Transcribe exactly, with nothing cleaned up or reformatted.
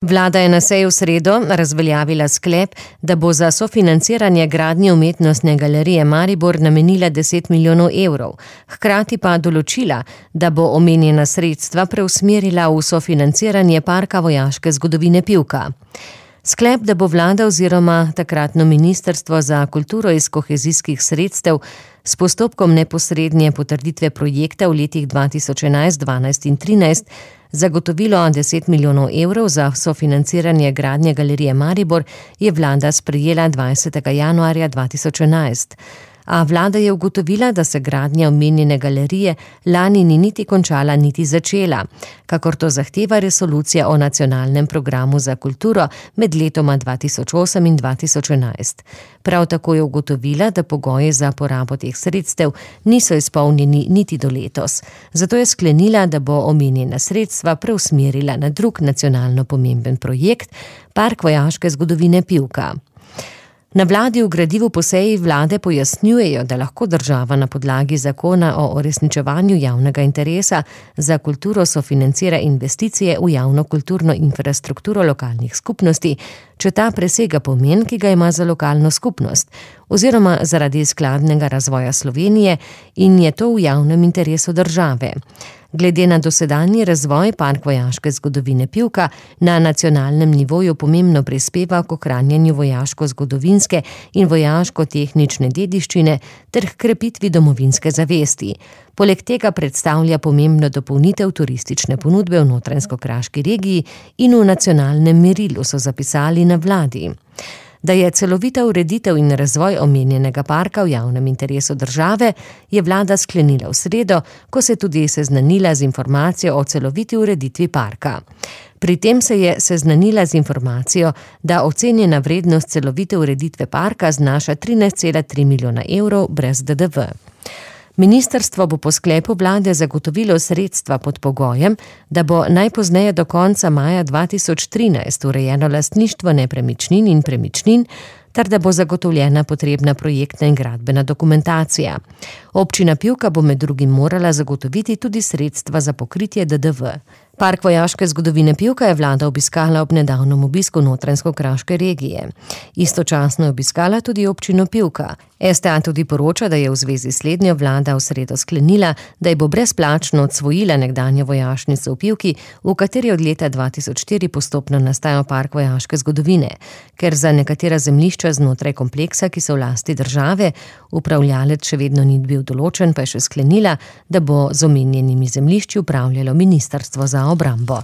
Vlada je na seji v sredo razveljavila sklep, da bo za sofinanciranje gradnje umetnostne galerije Maribor namenila deset milijonov evrov, hkrati pa določila, da bo omenjena sredstva preusmerila v sofinanciranje Parka vojaške zgodovine Pivka. Sklep, da bo vlada oziroma takratno ministrstvo za kulturo iz kohezijskih sredstev s postopkom neposredne potrditve projekta v letih dva tisoč enajst, dvanajst in trinajst zagotovilo deset milijonov evrov za sofinanciranje gradnje galerije Maribor, je vlada sprejela dvajsetega januarja dva tisoč enajst. A vlada je ugotovila, da se gradnja omenjene galerije lani ni niti končala, niti začela, kakor to zahteva resolucija o nacionalnem programu za kulturo med letoma dva tisoč osem in dva tisoč enajst. Prav tako je ugotovila, da pogoji za porabo teh sredstev niso izpolnjeni niti do letos. Zato je sklenila, da bo omenjena sredstva preusmerila na drug nacionalno pomemben projekt, Park vojaške zgodovine Pivka. Na vladi v gradivu po seji vlade pojasnjujejo, da lahko država na podlagi zakona o uresničevanju javnega interesa za kulturo sofinancira investicije v javno kulturno infrastrukturo lokalnih skupnosti, če ta presega pomen, ki ga ima za lokalno skupnost, oziroma zaradi skladnega razvoja Slovenije in je to v javnem interesu države. Glede na dosedanji razvoj Park vojaške zgodovine Pivka na nacionalnem nivoju pomembno prispeva k ohranjanju vojaško-zgodovinske in vojaško-tehnične dediščine ter h krepitvi domovinske zavesti. Poleg tega predstavlja pomembno dopolnitev turistične ponudbe v Notranjsko-Kraški regiji in v nacionalnem merilu, so zapisali na vladi. Da je celovita ureditev in razvoj omenjenega parka v javnem interesu države, je vlada sklenila v sredo, ko se tudi seznanila z informacijo o celoviti ureditvi parka. Pri tem se je seznanila z informacijo, da ocenjena vrednost celovite ureditve parka znaša trinajst cela tri milijona evrov brez D D V. Ministrstvo bo po sklepu vlade zagotovilo sredstva pod pogojem, da bo najpozneje do konca maja dva tisoč trinajst urejeno lastništvo nepremičnin in premičnin, ter da bo zagotovljena potrebna projektna in gradbena dokumentacija. Občina Pivka bo med drugim morala zagotoviti tudi sredstva za pokritje D D V. Park vojaške zgodovine Pivka je vlada obiskala ob nedavnem obisku Notranjsko-Kraške regije. Istočasno je obiskala tudi občino Pivka. S T A tudi poroča, da je v zvezi s slednjo vlada v sredo sklenila, da je bo brezplačno odsvojila nekdanjo vojašnico v Pivki, v kateri od leta dva tisoč štiri postopno nastajal Park vojaške zgodovine. Ker za nekatera zemljišča znotraj kompleksa, ki so v lasti države, upravljalec še vedno ni bil določen, pa je še sklenila, da bo z omenjenimi zemljišči upravljalo ministrstvo za obrambo.